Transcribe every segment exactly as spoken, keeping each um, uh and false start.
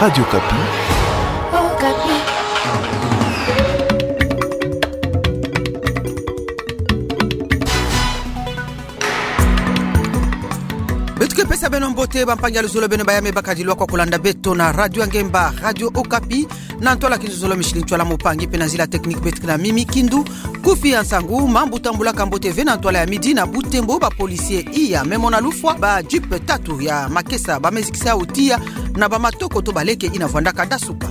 Radio Okapi. Beto ke pesa beno mbote, bampangi ya luzolo, beno bayame bakadi lwa kwa kulanda beto na radio ya ngemba, Radio Okapi, na ntwala kinzuzolo Micheline Ntwala Mpangi, mpe na nzila technique beto ke na Mimi Kindu. Kufi ya nsangu: mambu tambulaka mbote ve na ntwala ya midi na Butembo, ba policier iya me mona lufwa ba jeep tatu ya makesa bamezikisa yo tiya na bamatoko to baleke ina vwandaka dasuka.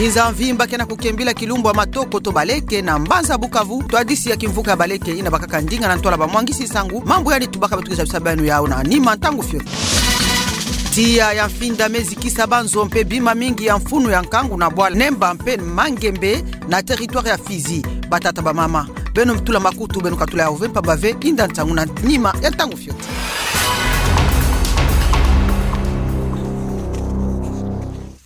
Inza mvimba ke na kukembila kilumbu ya matoko to baleke na mbanza Bukavu, twadisi ya kimvuka ya baleke ina bakaka ndinga na ntwala bamwangisi nsangu, mambu yandi tubaka beto ke zabisa beno yawu na nima ntangu fioti. Tiya ya mfinda mezikisa banzo mpe bima mingi ya mfunu ya nkangu na bwala Nemba mpe Mangembe na territoire ya Fizi. Batata, bamama, beno tula makutu, beno katula yawu ve mpamba ve inda nsangu na nima ya ntangu fioti.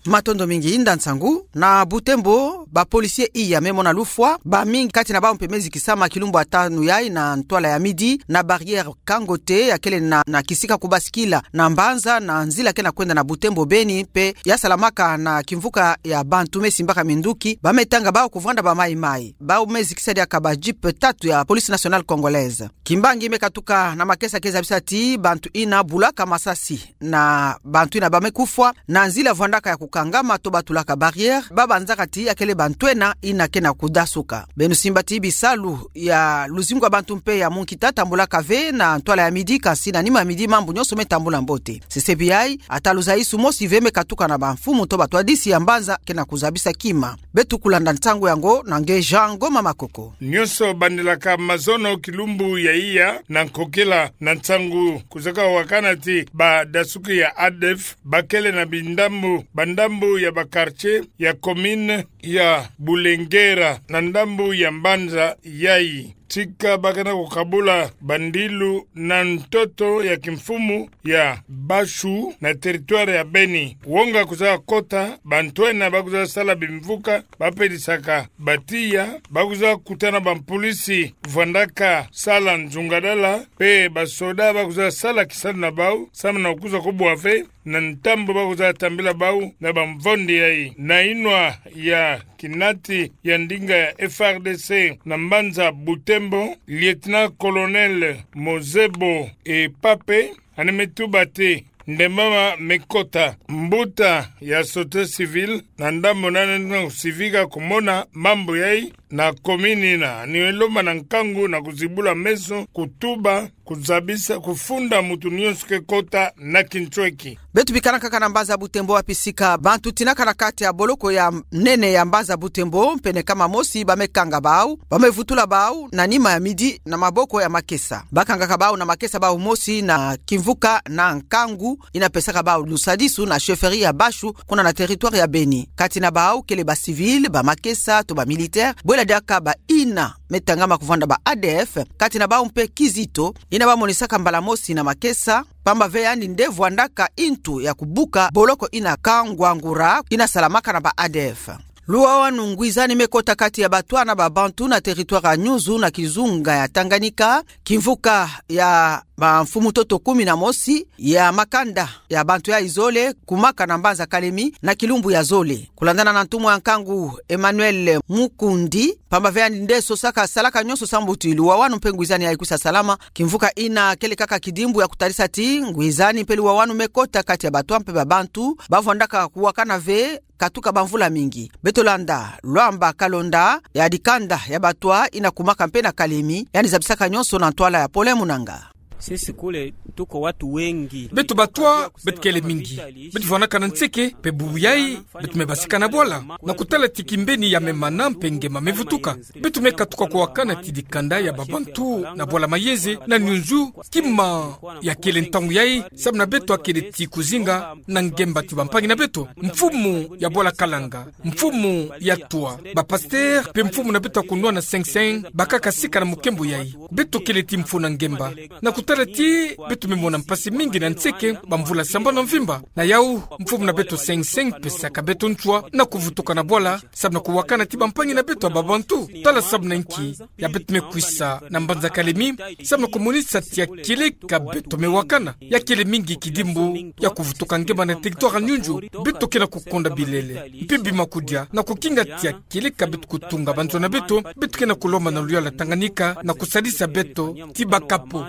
Matondo mingi. Inda nsangu. Na Butembo, ba policier iya me mona lufwa, bamingi kati na bawu mpe mezikisama kilumbu ya tanu yayi na ntwala ya midi na barrière Kangote, ya kele na, na kisika kubasikila na mbanza na nzila ke na kwenda na Butembo Beni, mpe ya salamaka na kimvuka ya bantu me simbaka minduki, ba me tanga bawu kuvwanda ba mayi-mayi. Bawu mezikisa diaka ba jeep tatu ya Police Nationale Congolaise. Kimbangi me katuka na makesa ke zabisa ti bantu ina bulaka masasi na bantu ina ba me kufwa na nzila vwandaka ya kukangama to ba tulaka barrière, ba banzaka ti ya kele bantwena ina ke na kudasuka. Beno simba ti bisalu ya luzingu ya bantu mpe ya munkita tambulaka ve na ntwala ya midi, kansi na nima ya midi mambu nyonso me tambula mbote. Sesebi yayi, ata luzaisu mosi ve me katuka na bamfumu to batwadisi ya mbanza ke na kuzabisa kima. Beto kulanda nsangu yango na nge Jean Ngoma Makoko. Nyonso bandilaka mazono kilumbu ya iya na nkokila na nsangu kuzaka wakana ti badasuki ya ADF bakele na bindambu, bandambu ya ba quartier ya commune ya Bulengera na ndambu ya mbanza yayi. Tika ba ke na kukabula bandilu na ntoto ya kimfumu ya Bashu na territoire ya Beni. Wonga kuzakota, bantwena ba kuzasala bimvuka, ba pedisaka batiya, ba kuzakutana bampolisi vwandaka sala nzungadala, mpe basoda ba kuzasala kisalu na bawu, samu na kuza kobwa ve na ntambu ba kuzatambila bawu na bamvondi yayi. Na inwa ya kinati ya ndinga ya F R D C na mbanza Butembo, lieutenant-colonel Mozebo Epape, yandi me tuba ti ndembama me kota. Mbuta ya société civile na ndambu nani na kusivika kumona mambu yayi na commune ina, yandi me lomba na nkangu na kuzibula meso, kutuba, kuzabisa, kufunda mutu nyonso ke kota na kintweki. Beto bikana kaka na mbanza Butembo, wapi sika bantu tinaka na kati ya boloko ya nene ya mbanza Butembo, pene kama mosi ba me kanga bawu, ba me vutula bawu na nima ya midi na maboko ya makesa. Ba kangaka bawu na makesa bawu mosi na kimvuka na nkangu ina pesaka bawu lusadisu na chefferie ya Bashu, kuna na territoire ya Beni. Kati na bawu kele ba civil, ba makesa to ba militaire, bwela diaka ba ina me tangama kuvwanda ba ADF, kati na bawu mpe kizito ina ba monisaka mbala mosi na makesa, pamba ve yandi nde vwandaka ntu ya kubuka boloko ina kangwangura ina salamaka na ba ADF. Luwawanu ngwizani me kota kati ya batwa na ba Bantu na territoire ya Nyunzu na kizunga ya Tanganyika, kimvuka ya bamfumu ntoto kumi na mosi ya makanda ya bantu yayi zole kumaka na mbanza Kalemi na kilumbu ya zole. Kulandana na ntumwa ya nkangu Emmanuel Mukundi, pamba ve yandi nde sosaka, salaka nyonso sambu ti luwawanu mpe ngwizani yayi kwisa salama, kimvuka ina kele kaka kidimbu ya kutadisa ti ngwizani mpe luwawanu me kota kati ya batwa mpe ba Bantu ba vwandaka kuwakana ve katuka bamvula mingi. Beto landa Lwamba Kalonda ya dikanda ya batwa ina kumaka mpe na Kalemi, yandi zabisaka nyonso na ntwala ya Paulin Munanga. Sisi kule tuko watu wengi. Beto batwa, beto kele mingi. Beto vwandaka na nseke, mpe bubu yayi beto me basika na bwala. Na kutala ti kimbeni ya me mana mpe ngemba me vutuka, beto me katuka kuwakana ti dikanda ya ba Bantu na bwala Mayeze na Nyunzu, kima ya kele ntangu yayi, samu na beto akele ti kuzinga na ngemba ti bampangi na beto, mfumu ya bwala Kalanga, mfumu ya Twa, ba pasteur mpe mfumu na beto ya kunwana Seng Seng, bakaka sika na mukembo yayi. Beto kele ti mfunu na ngemba. Na kutala ti beto me mona mpasi mingi na nseke, bamvula sambanu ya mvimba. Na yau, mfumu na beto Seng Seng, pesaka beto ntua, na kuvutuka na bwala, sababu na kuwakana ti bampangi na beto ya babantu. Tala sababu na inki, ya beto me kwisa, na mbanza Kalemi, sababu na kumonisa tia kieleka beto me wakana. Ya kele mingi kidimbu, ya kuvutuka ngemba na territoire ya Nyunju, beto ke na kukonda bilele. Mpe bima kudia, na kukinga tia kieleka beto kutunga banzona beto, beto ke na kulomba na luyala Tanganyika, na kusadisa beto, ti bakapo.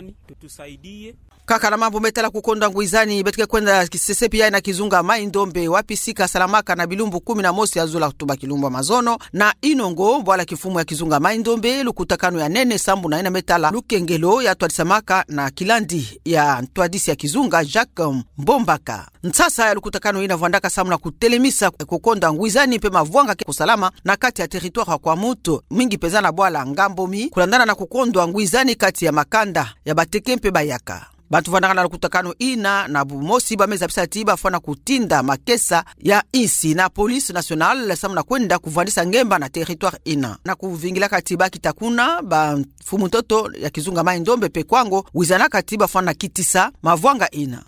Kaka na mambu me tala kukonda ngwizani, beto ke kwenda kisesepi ya na kizunga Mai-Ndombe, wapi sika salamaka na bilumbu kumi na mosi ya zula tuba kilumbu ya mazono, na Inongo, bwala kimfumu ya kizunga Mai-Ndombe, lukutakanu ya nene sambu na ina me tala lukengelo ya twadisamaka na kilandi ya ntwadisi ya kizunga Jacques Mbombaka. Nsasa ya lukutakanu ina vwandaka samu na kutelemisa kukonda ngwizani mpe mavwanga ke kusalama na kati ya territoire ya Kwamouth, mingi penza na bwala Ngambomi, kulandana na kukondwa ngwizani kati ya makanda ya bateke mpe bayaka. Bantu vwandaka na lukutakanu ina na bumosi ba me zabisa ti ba fwana kutinda makesa ya insi na police nationale samu na kwenda kuvwandisa ngemba na territoire ina. Na kuvingilaka ti ba kita kuna, bamfumu ntoto ya kizunga Mai-Ndombe mpe Kwango, wizanaka ti ba fwana kitisa mavwanga ina.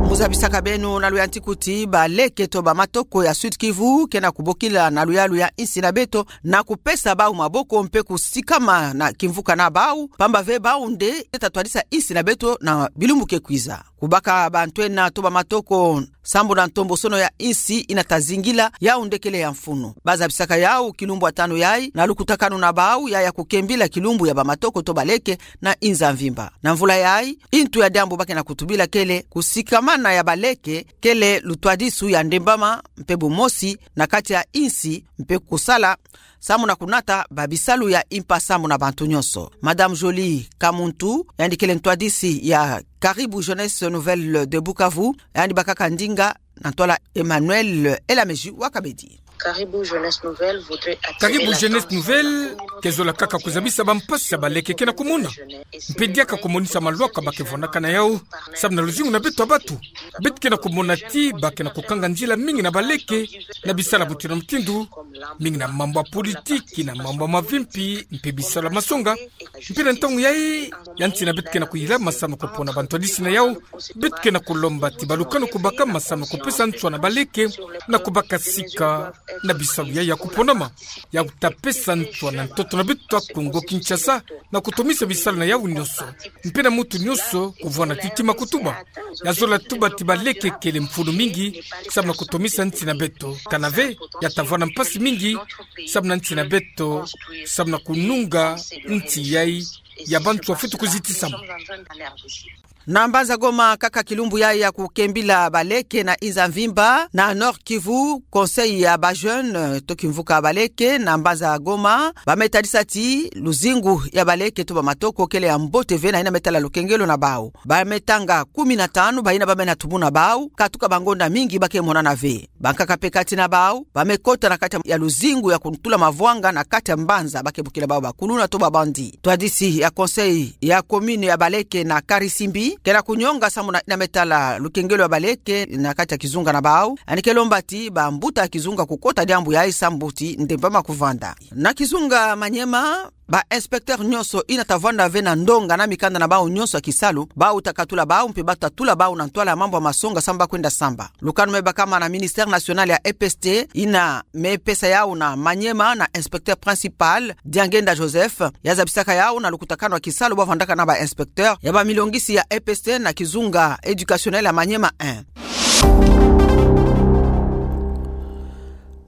Mu zabisaka beno na luyantiku ti baleke to bamatoko ya Sud-Kivu ke na kubokila na luyalu ya insi na beto na kupesa bau maboko mpe kusikama na kimvuka na bau, pamba ve bau nde ta twadisa insi na beto na bilumbu ke kwiza. Kubaka bantu ena to bamatoko sambu na ntombosono ya insi ina ta zingila, yau nde kele ya mfunu. Ba zabisaka yau kilumbu ya tanu yai na lukutakanu na bau ya ya kukembila kilumbu ya bamatoko to baleke na inza mvimba. Na mvula yai, intu ya diambu ba ke na kutubila kele kusikamana ya baleke, kele lutwadisu ya ndembama mpe bumosi na kati ya insi mpe kusala samu na kunata babisalu ya impa samu na bantu nyonso. Madame Jolie Kamuntu, yandi kele ntwadisi ya Caribou Jeunesse Nouvelle de Bukavu, yandi bakaka ndinga na ntwala Emmanuel Elameji wa Kabedi. Caribou Jeunesse Nouvelle voudrait attirer Caribou Jeunesse Nouvelle ke zola kaka kuzabisa bampasi ya baleke ke na kumona. Mpe diaka kumonisa malwaka ba ke vwandaka na yau, samu na luzingu na beto ya batu. Beto ke na kumona ti ba ke na kukanga nzila mingi na baleke, na bisalu ya mutindu na mutindu, mingi na mambu ya politiki, na mambu ya mavimpi, mpe bisalu ya masonga. Mpe na ntangu yai, ya nsi na beto ke na kuyilama samu na kupona bantwadisi na yau, beto ke na kulomba ti balukanu kubakama samu na kupesa nswa na baleke, na kubaka sika na bisalu yai ya kuponama, ya kuta pesa nswa na ntoto na beto ya Kongo Kinshasa, na kutomisa bisalu na yau nyonso. Mpe na muntu nyonso kuvwanda ti tima kutuba. Ya zola tuba ti baleke kele mfunu mingi, samu na kutomisa nsi na beto. Kana ve, ya ta vwanda mpasi mingi, samu na nsi na beto, samu na kununga nsi yai ya bantu ya fweti kuzitisama. Na mbanza Goma kaka kilumbu yai ya kukembila baleke na inza mvimba, na Nord-Kivu, Conseil ya ba jeunes to kimvuka baleke na mbanza Goma, ba me tadisa ti luzingu ya baleke to bamatoko kele ya mbote ve na ina me tala lukengelo na bau. Ba me tanga kumi na tanu, ba ina ba me na tubu na bau, katuka bangonda mingi ba ke monana ve. Bankaka mpe kati na bau, ba me kota na kati ya luzingu ya kutula mavwanga na kati ya mbanza, ba ke bokila bau bakuluna to ba bandits. Twadisi ya conseil ya commune ya baleke na Karisimbi ke na kunyonga samu na ina me tala lukengelo ya baleke na kati ya kizunga na bau. Yandi ke lomba ti bambuta ya kizunga kukota diambu yai samu ti ndembama kuvwanda. Na kizunga Maniema, ba inspecteurs nyonso ina ta vwanda ve na ndonga na mikanda na bau nyonso ya kisalu, bau ta katula bau mpe ba ta tula bau na ntwala ya mambu ya masonga samu ba kwenda samba. Lukanu me bakama na Ministère National ya E P S T, ina me pesa yau na Maniema na inspecteur principal, Diangenda Joseph, ya zabisaka yau na lukutakanu ya kisalu ba vwandaka na ba inspecteurs ya bamilongisi ya E P S T na kizunga éducationnel ya Maniema un.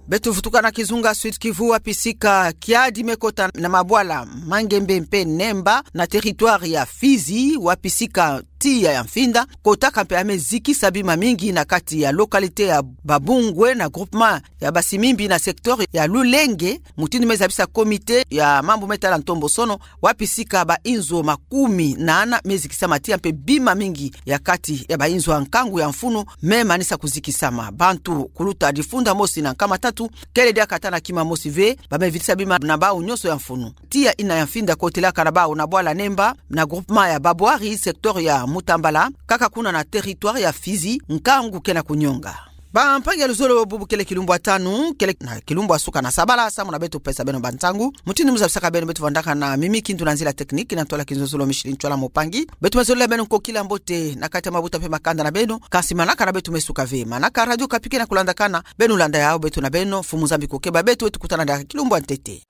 Beto vutuka na kizunga Sud-Kivu, wapi sika kiadi me kota na mabwala Mangembe mpe Nemba na territoire ya Fizi, wapi sika tiya ya mfinda kotaka mpe ya me zikisa bima mingi na kati ya localité ya Babungwe na groupement ya Basimimbi na secteur ya Lulenge, mutindu me zabisa comité ya mambu me tala ntombosono, wapi sika ba inzo makumi nana me zikisama tiya mpe bima mingi ya kati ya ba inzo ya nkangu ya mfunu me manisa kuzikisama. Bantu kuluta difunda mosi na nkama tatu, kele diaka ata na kima mosi ve, ba me vitisa bima na bau nyonso ya mfunu. Tiya ina ya mfinda kotelaka na bau na bwala Nemba, na groupement ya Babwari, secteur ya Mutambala, kaka kuna na territoire ya Fizi, nkangu ke na kunyonga. Bampangi ya luzolo, bubu kele kilumbu ya tanu, kele na kilumbu ya suka na sabala, samu na beto pesa beno bantangu. Mutindu mu zabisaka beno, beto vandaka na Mimi Kindu na nzila technique, na ntwala Kinzonzolo Micheline Ntwala Mopangi. Beto mezolele beno nkokila mbote na kati ya mabuta mpe makanda na beno. Kansi manaka na beto mesuka ve. Manaka Radio Okapi ke na kulandakana, beno landa yawu, beto na beno, Mfumu Nzambi kukeba beto, tukutana diaka kilumbu ya ntete.